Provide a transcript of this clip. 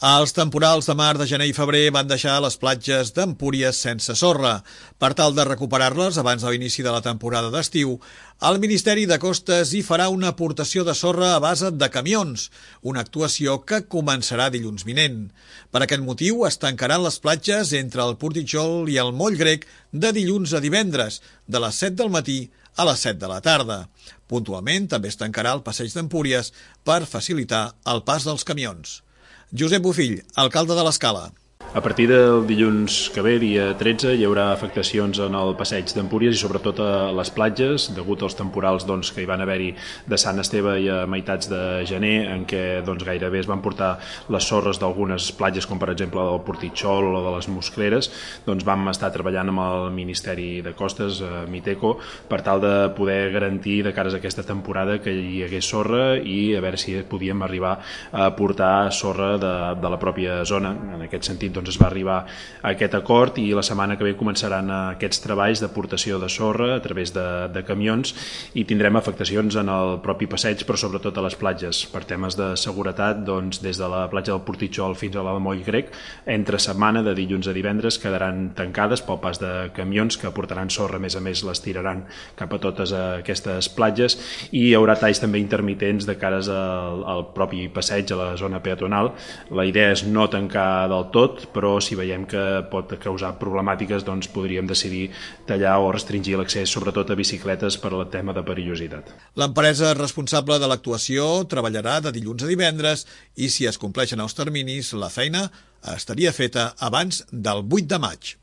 Els temporals de mar, de gener i febrer van deixar les platges d'Empúries sense sorra. Per tal de recuperar-les abans de l'inici de la temporada d'estiu, el Ministeri de Costes hi farà una aportació de sorra a base de camions, una actuació que començarà dilluns vinent. Per aquest motiu es tancaran les platges entre el Portitxol i el Moll Grec de dilluns a divendres, de les 7 del matí a les 7 de la tarda. Puntualment també es tancarà el passeig d'Empúries per facilitar el pas dels camions. Josep Bofill, alcalde de l'Escala. A partir del dilluns que ve, dia 13, hi haurà afectacions en el passeig d'Empúries i sobretot a les platges, degut als temporals que hi van haver-hi de Sant Esteve i a meitats de gener, en què gairebé es van portar les sorres d'algunes platges, com per exemple del Portitxol o de les Moscleres. Vam estar treballant amb el Ministeri de Costes, Miteco, per tal de poder garantir de cares a aquesta temporada que hi hagués sorra i a veure si podíem arribar a portar sorra de la pròpia zona. En aquest sentit, es va arribar a aquest acord i la setmana que ve començaran aquests treballs d'aportació de sorra a través de camions i tindrem afectacions en el propi passeig, però sobretot a les platges. Per temes de seguretat, des de la platja del Portitxol fins a la de Moll Grec, entre setmana, de dilluns a divendres, quedaran tancades pel pas de camions que aportaran sorra, a més les tiraran cap a totes aquestes platges, i hi haurà talls també intermitents de cares al propi passeig, a la zona peatonal. La idea és no tancar del tot, però si veiem que pot causar problemàtiques, podríem decidir tallar o restringir l'accés, sobretot a bicicletes, per al tema de perillositat. L'empresa responsable de l'actuació treballarà de dilluns a divendres i, si es compleixen els terminis, la feina estaria feta abans del 8 de maig.